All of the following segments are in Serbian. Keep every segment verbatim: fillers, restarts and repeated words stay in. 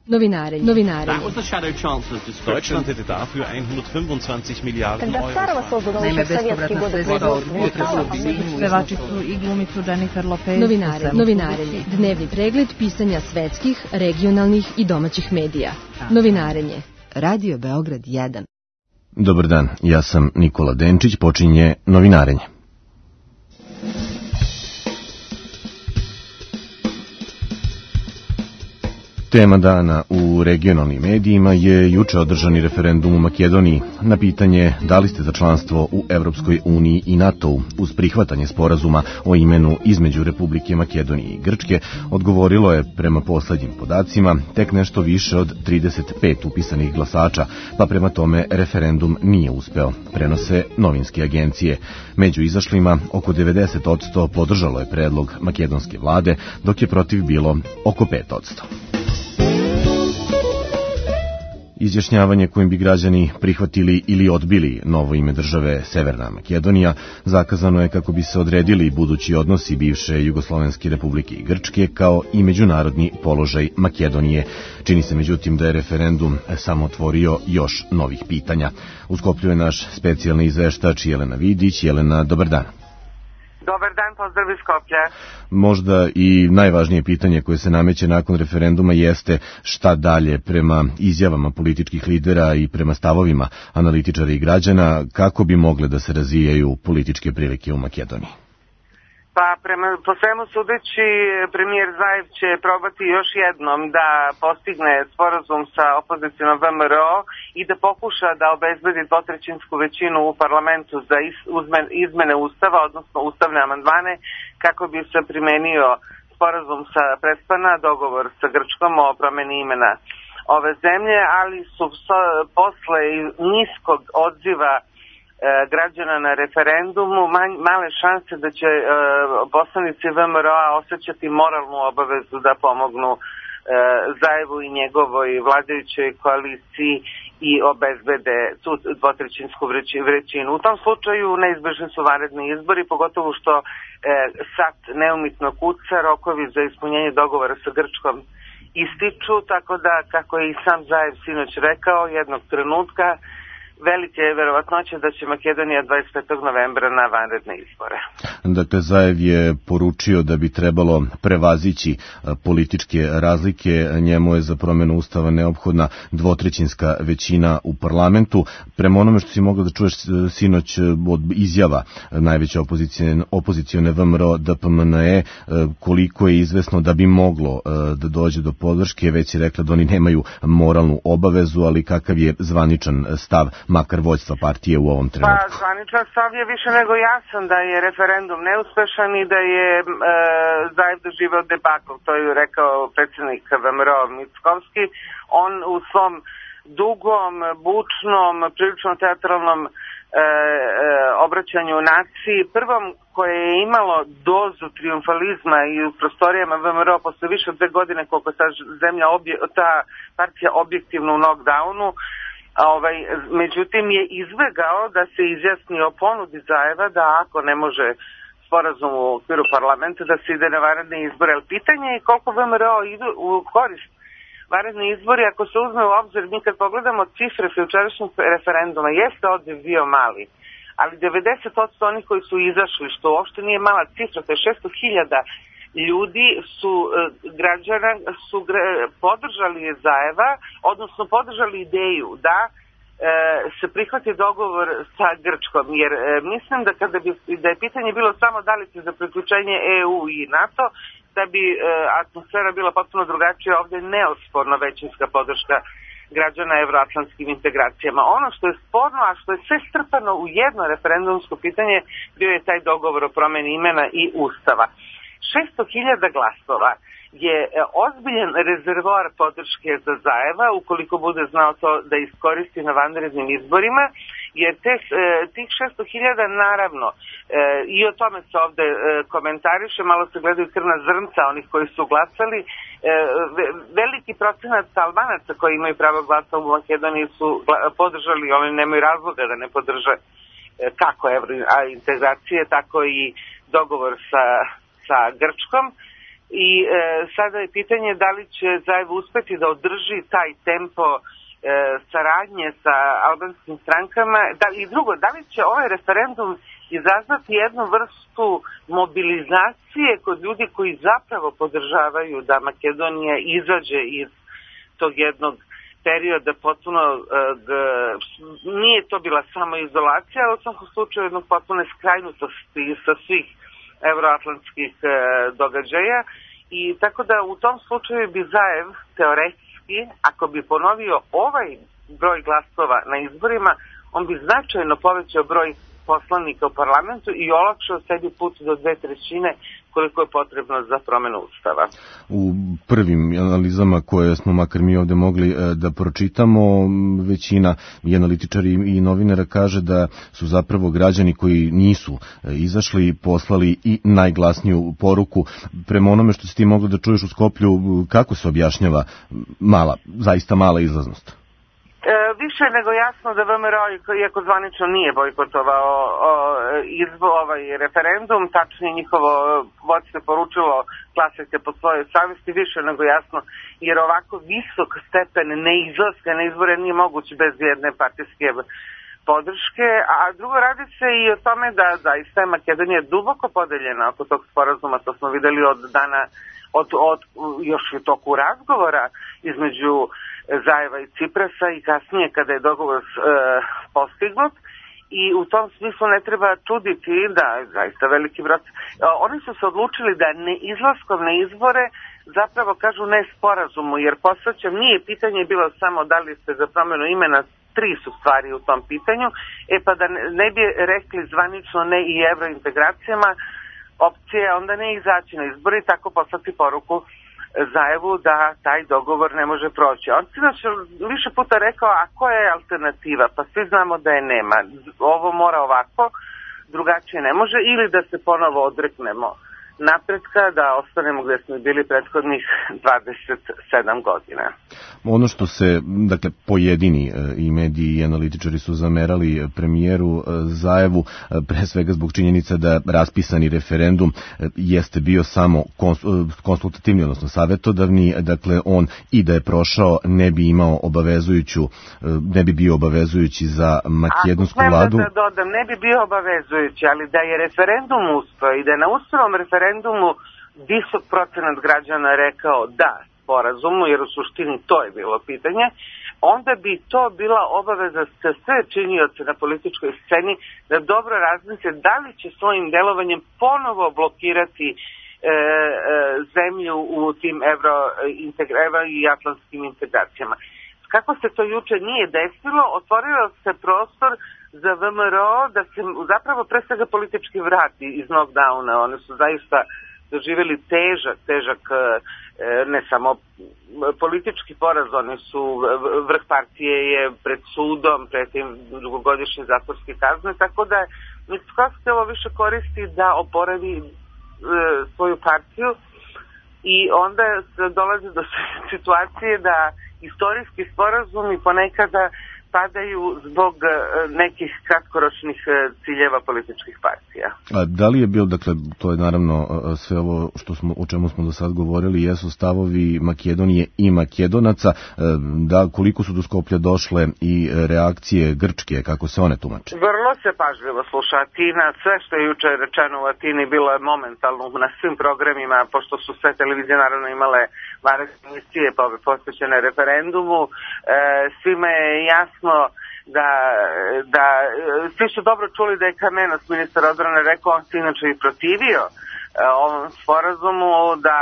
Novinarenje. Novinarenje. That was the Shadow Chancellor's description. Deutschland hätte dafür hundertfünfundzwanzig Miliarden Euro. Naime, bespovratna sredstva od pevačicu i glumicu Jennifer Lopez. Novinarenje. Novinarenje. Dnevni pregled pisanja svetskih, regionalnih i domaćih medija. Novinarenje. Radio Beograd jedan. Dobar dan, ja sam Nikola Denčić, počinje Novinarenje. Tema dana u regionalnim medijima je juče održani referendum u Makedoniji. Na pitanje da li ste za članstvo u Evropskoj uniji i NATO-u uz prihvatanje sporazuma o imenu između Republike Makedonije i Grčke, odgovorilo je prema poslednjim podacima tek nešto više od trideset pet upisanih glasača, pa prema tome referendum nije uspeo, prenose novinske agencije. Među izašlima oko devedeset posto podržalo je predlog makedonske vlade, dok je protiv bilo oko pet posto. Izjašnjavanje kojim bi građani prihvatili ili odbili novo ime države Severna Makedonija zakazano je kako bi se odredili budući odnosi bivše Jugoslovenske republike i Grčke kao i međunarodni položaj Makedonije. Čini se međutim da je referendum samo otvorio još novih pitanja. U Skoplju je naš specijalni izveštač Jelena Vidić. Jelena, dobar dan. Dobar dan, pozdrav iz Skoplja. Možda i najvažnije pitanje koje se nameće nakon referenduma jeste šta dalje prema izjavama političkih lidera i prema stavovima analitičara i građana, kako bi mogle da se razvijaju političke prilike u Makedoniji. Pa prema, po svemu sudeći, premijer Zaev će probati još jednom da postigne sporazum sa opozicijom V M R O i da pokuša da obezbedi dvotrećinsku većinu u parlamentu za izmene ustava, odnosno ustavne amandmane, kako bi se primenio sporazum sa Prespana, dogovor sa Grčkom o promeni imena ove zemlje, ali su posle niskog odziva građana na referendumu male šanse da će poslanici V M R O-a osjećati moralnu obavezu da pomognu Zaevu i njegovoj vladajućoj koaliciji i obezbede tu dvotrećinsku većinu. U tom slučaju neizbežni su vanredni izbori, pogotovo što sad neumitno kuca, rokovi za ispunjenje dogovora sa Grčkom ističu, tako da, kako je i sam Zaev sinoć rekao, jednog trenutka velike je verovatnoća da će Makedonija dvadeset petog novembra na vanredne izbore. Dakle, Zaev je poručio da bi trebalo prevazići političke razlike. Njemu je za promjenu ustava neophodna dvotrećinska većina u parlamentu. Prema onome što si mogla da čuješ sinoć od izjava najveće opozicione V M R O D P M N E, koliko je izvesno da bi moglo da dođe do podrške, već je rekla da oni nemaju moralnu obavezu, ali kakav je zvaničan stav makar vođstva partije u ovom trenutku? Pa, zvaničan stav je više nego jasan da je referendum neuspešan i da je e, Zaev doživeo debakl, to je rekao predsjednik V M R O Mickovski. On u svom dugom, bučnom, prilično teatralnom e, e, obraćanju naciji, prvom koje je imalo dozu triumfalizma i u prostorijama V M R O posle više od dve godine koliko ta zemlja, obje, ta partija objektivno u knockdownu, Ovaj, međutim je izbegao da se izjasni o ponudi Zaeva da ako ne može sporazum u okviru parlamenta da se ide na vanredne izbore. Ali pitanje je koliko V M R O idu u korist vanredni izbori ako se uzme u obzir. Mi kad pogledamo cifre jučerašnjeg referenduma, jeste odjev bio mali, ali devedeset posto onih koji su izašli, što uopšte nije mala cifra, to je šesto hiljada ljudi su građana su podržali Zaeva, odnosno podržali ideju da e, se prihvati dogovor sa Grčkom, jer e, mislim da kada bi da je pitanje bilo samo da li se za priključenje E U i NATO, da bi e, atmosfera bila potpuno drugačija. Ovdje je neosporno većinska podrška građana evroatlantskim integracijama. Ono što je sporno, a što je sve strpano u jedno referendumsko pitanje, bio je taj dogovor o promjeni imena i ustava. šesto hiljada glasova je ozbiljan rezervoar podrške za Zaeva ukoliko bude znao to da iskoristi na vanrednim izborima, jer te, tih šesto hiljada naravno i o tome se ovde komentariše, malo se gledaju krvna zrnca onih koji su glasali. Veliki procenat Albanaca koji imaju pravo glasa u Makedoniji su podržali, oni nemaju razloga da ne podrže kako evrointegracije, tako i dogovor sa sa Grčkom. i e, sada je pitanje da li će Zaev uspeti da održi taj tempo e, saradnje sa albanskim strankama, da, i drugo, da li će ovaj referendum izazvati jednu vrstu mobilizacije kod ljudi koji zapravo podržavaju da Makedonija izađe iz tog jednog perioda potpuno, nije to bila samo izolacija, ali u svakom slučaju jednog potpuno skrajnutosti sa svih evroatlantskih događaja, i tako da u tom slučaju bi Zaev teoretski, ako bi ponovio ovaj broj glasova na izborima, on bi značajno povećao broj poslanika u parlamentu i olakšao sebi put do dve trećine koliko je potrebno za promenu ustava. U prvim analizama koje smo makar mi ovde mogli da pročitamo, većina i analitičari i novinara kaže da su zapravo građani koji nisu izašli poslali i najglasniju poruku. Prema onome što si ti mogla da čuješ u Skoplju, kako se objašnjava mala, zaista mala izlaznost? E, više nego jasno da V M R O, iako zvanično nije bojkotovao o, izbo, ovaj referendum, tačnije njihovo vodstvo poručilo glasajte po svojoj savjesti, više nego jasno, jer ovako visok stepen neizlaska na izbore nije moguć bez jedne partijske podrške, a drugo radi se i o tome da zaista je Makedonija duboko podeljena oko tog sporazuma, to smo videli od dana, od, od još u toku razgovora između Zaeva i Ciprasa i kasnije kada je dogovor e, postignut, i u tom smislu ne treba čuditi da zaista veliki broj. Oni su se odlučili da ne izlaskom na izbore zapravo kažu ne sporazumu, jer posvećam, nije pitanje bilo samo da li ste za promjenu imena, tri su stvari u tom pitanju, e pa da ne bi rekli zvanično ne i evrointegracijama, opcija onda ne izaći na izbori i tako poslati poruku Zaevu da taj dogovor ne može proći. On sinoć više puta rekao, a koja je alternativa? Pa svi znamo da je nema. Ovo mora ovako, drugačije ne može, ili da se ponovo odreknemo napretka, da ostanemo gde smo bili prethodnih dvadeset sedam godina. Ono što se, dakle, pojedini i mediji i analitičari su zamerali premijeru Zaevu, pre svega zbog činjenica da raspisani referendum jeste bio samo konsultativni, odnosno savjetodavni, dakle on i da je prošao ne bi imao obavezujuću, ne bi bio obavezujući za makedonsku vladu. Ako da dodam, ne bi bio obavezujući, ali da je referendum uspeo i da je na uspelom referendumu visok procenat građana rekao da sporazumu, jer u suštini to je bilo pitanje, onda bi to bila obaveza za sve činioce na političkoj sceni da dobro razmisle da li će svojim delovanjem ponovo blokirati e, e, zemlju u tim evro, evro i atlantskim integracijama. Kako se to juče nije desilo, otvorio se prostor za V M R O da se zapravo pre svega politički vrati iz knockdowna. One su zaista doživjeli težak, težak ne samo politički poraz, oni su, vrh partije je pred sudom, pred tim dugogodišnje zatvorske kazne, tako da Mickoski ovo više koristi da oporavi e, svoju partiju, i onda dolazi do situacije da istorijski sporazumi ponekada padaju zbog nekih kratkoročnih ciljeva političkih partija. A da li je bio, dakle, to je naravno sve ovo što smo, o čemu smo do sad govorili, jesu stavovi Makedonije i Makedonaca, da koliko su do Skoplja došle i reakcije Grčke, kako se one tumače? Vrlo se pažljivo sluša Atina, sve što je juče rečeno u Atini bilo je momentalno na svim programima, pošto su sve televizije naravno imale vanredne emisije posvećene referendumu, e, svima je jasno da, da svi su dobro čuli da je Kamenos, ministar odbrane, rekao, on se inače i protivio e, ovom sporazumu, da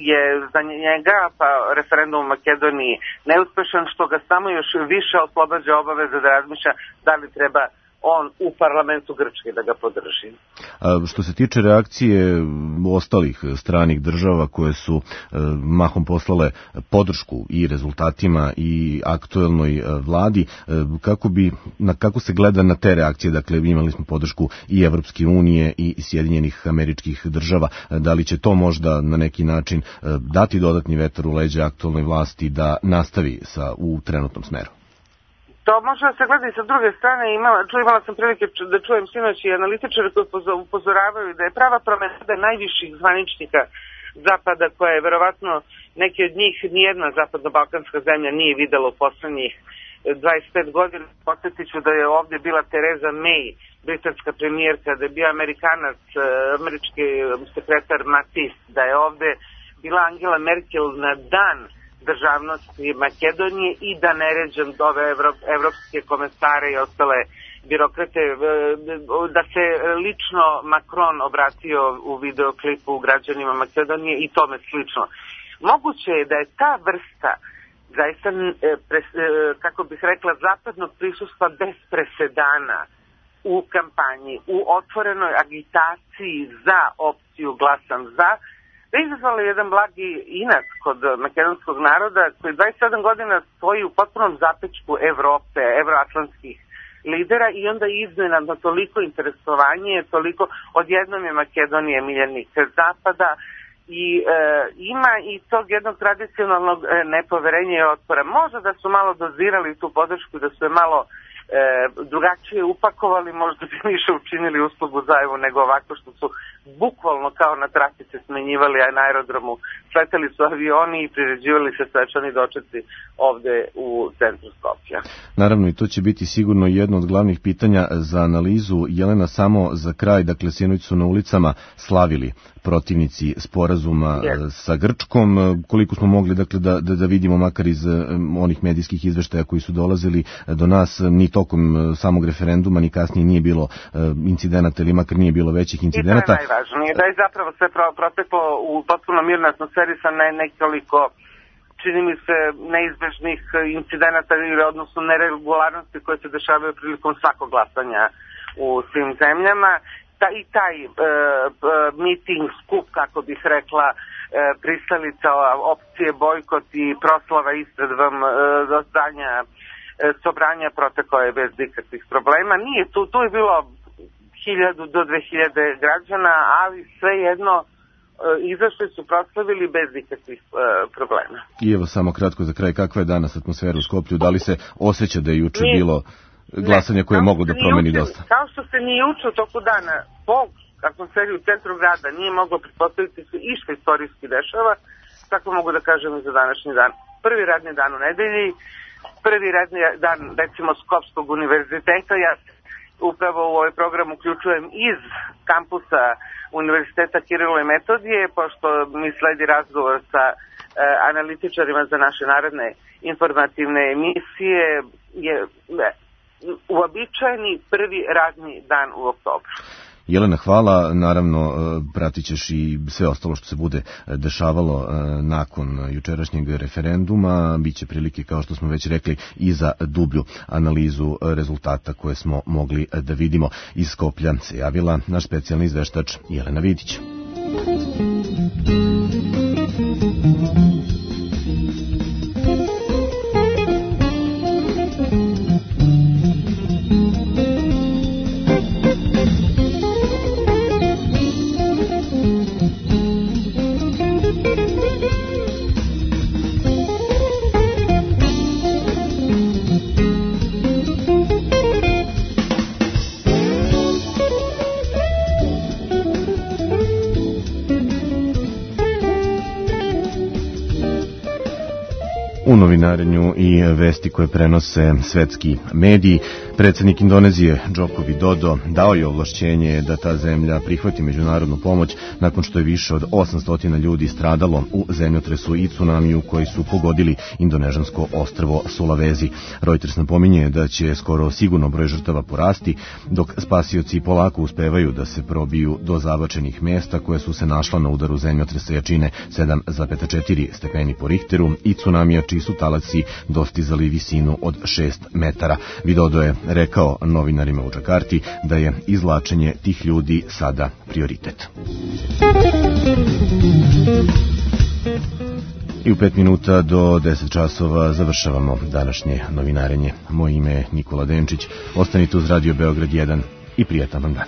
je za njega pa referendum u Makedoniji neuspešan, što ga samo još više oslobađa obaveze da razmišlja da li treba on u parlamentu Grčke da ga podrži. A što se tiče reakcije ostalih stranih država koje su e, mahom poslale podršku i rezultatima i aktuelnoj e, vladi, e, kako bi, na kako se gleda na te reakcije? Dakle, imali smo podršku i Evropske unije i Sjedinjenih Američkih Država. E, da li će to možda na neki način e, dati dodatni vetar u leđa aktuelnoj vlasti da nastavi sa, u trenutnom smeru? To može da se gleda i sa druge strane. Imala, imala sam prilike da čujem sinoć i analitičare koji upozoravaju da je prava promena najviših zvaničnika zapada koja je verovatno neki od njih nijedna zapadno-balkanska zemlja nije videla u poslednjih dvadeset pet godina. Podsjetit ću da je ovde bila Tereza May, britanska premijerka, da je bio Amerikanac, američki sekretar Mattis, da je ovde bila Angela Merkel na dan državnosti Makedonije i da ne ređem ove evropske komesare i ostale birokrate, da se lično Macron obratio u videoklipu građanima Makedonije i tome slično. Moguće je da je ta vrsta zaista, kako bih rekla, zapadnog prisustva bez presedana u kampanji, u otvorenoj agitaciji za opciju glasam za, da je izazvala jedan blagi inat kod makedonskog naroda koji dvadeset sedam godina stoji u potpunom zapečku Evrope, evroatlantskih lidera i onda iznenadno toliko interesovanje, toliko, odjednom je Makedonija miljenik zapada i e, ima i tog jednog tradicionalnog e, nepoverenja i otpora. Možda da su malo dozirali tu podršku, da su je malo e, drugačije upakovali, možda bi više učinili uslugu Zajevu nego ovako što su bukvalno kao na trafice smenjivali, a na aerodromu sletali su avioni i priređivali se svečani dočeci ovde u centru Skoplja. Naravno, i to će biti sigurno jedno od glavnih pitanja za analizu. Jelena, samo za kraj, dakle, sinoć su na ulicama slavili protivnici sporazuma yes. sa Grčkom. Koliko smo mogli, dakle, da, da, da vidimo makar iz onih medijskih izveštaja koji su dolazili do nas, ni tokom samog referenduma, ni kasnije nije bilo incidenata ili makar nije bilo većih incidenata. I to je najvažnije, da je zapravo sve proteklo u potpuno mirnoj atmosferi sa ne, nekoliko, čini mi se, neizbežnih incidenata ili odnosno neregularnosti koje se dešavaju prilikom svakog glasanja u svim zemljama. Ta, I taj e, meeting, skup, kako bih rekla, e, pristalica opcije bojkot i proslava ispred vam e, zdanja e, sobranja protekao je bez ikakvih problema. Nije tu, tu je bilo hiljadu do dve hiljade građana, ali svejedno e, izašli su, proslavili bez ikakvih e, problema. I evo samo kratko za kraj, kakva je danas atmosfera u Skoplju? Da li se osjeća da je juče Nije. bilo glasanje koje je moglo da promeni juče, dosta? Kao što se ni juče u toku dana po atmosferi u centru grada nije moglo pretpostaviti se i što istorijski dešava, tako mogu da kažem i za današnji dan. Prvi radni dan u nedelji, prvi radni dan, recimo, Skopskog univerziteta. Ja upravo u ovaj program uključujem iz kampusa Univerziteta Kirilo i Metodije, pošto mi sledi razgovor sa e, analitičarima za naše naredne informativne emisije. Je ne, uobičajeni prvi radni dan u oktobru. Jelena, hvala. Naravno, pratit ćeš i sve ostalo što se bude dešavalo nakon jučerašnjeg referenduma. Biće prilike, kao što smo već rekli, i za dublju analizu rezultata koje smo mogli da vidimo. Iz Skoplja se javila naš specijalni izveštač Jelena Vidić. U novinarenju i vesti koje prenose svetski mediji, predsjednik Indonezije Joko Widodo dao je ovlašćenje da ta zemlja prihvati međunarodnu pomoć nakon što je više od osamsto ljudi stradalo u zemljotresu i tsunamiju koji su pogodili indonežansko ostrvo Sulawesi. Reuters napominje da će skoro sigurno broj žrtava porasti, dok spasioci polako uspevaju da se probiju do zabačenih mesta koje su se našla na udaru zemljotresa jačine sedam zarez četiri stepeni po Richteru i tsunamija čiji su talaci dostizali visinu od šest metara. Widodo je rekao novinarima u Džakarti da je izvlačenje tih ljudi sada prioritet. I u pet minuta do deset časova završavamo današnje novinarenje. Moje ime je Nikola Denčić. Ostanite uz Radio Beograd jedan i prijatan vam dan.